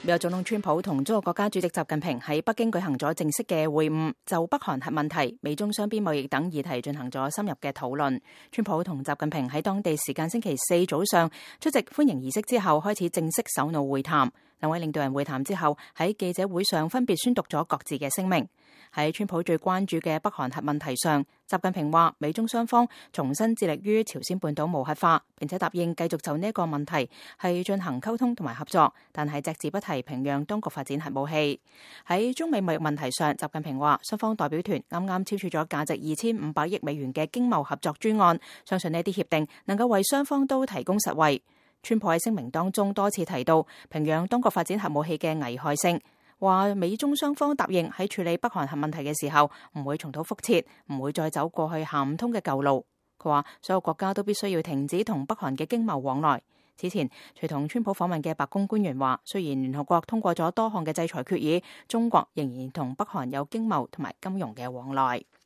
美國總統川普同中國國家主席習近平喺北京舉行咗正式嘅會晤，就北韓核問題、美中雙邊貿易等議題進行咗深入嘅討論。川普同習近平喺當地時間星期四早上出席歡迎儀式之後，開始正式首腦會談。兩位領導人會談之後，喺記者會上分別宣讀咗各自嘅聲明。喺川普最關注嘅北韓核問題上，習近平話美中雙方重新致力於朝鮮半島無核化，並且答應繼續就呢一個問題係進行溝通同埋合作，但係隻字不提平壤當局發展核武器。喺中美貿易問題上，習近平話雙方代表團啱啱簽署咗價值2500億美元嘅經貿合作專案，相信呢啲協定能夠為雙方都提供實惠。川普喺聲明當中多次提到平壤當局發展核武器嘅危害性，話美中雙方答應喺處理北韓核問題嘅時候唔會重蹈覆轍，唔會再走過去行唔通嘅舊路。佢話所有國家都必須要停止同北韓嘅經貿往來。此前隨同川普訪問嘅白宮官員話，雖然聯合國通過咗多項嘅制裁決議，中國仍然同北韓有經貿同埋金融嘅往來。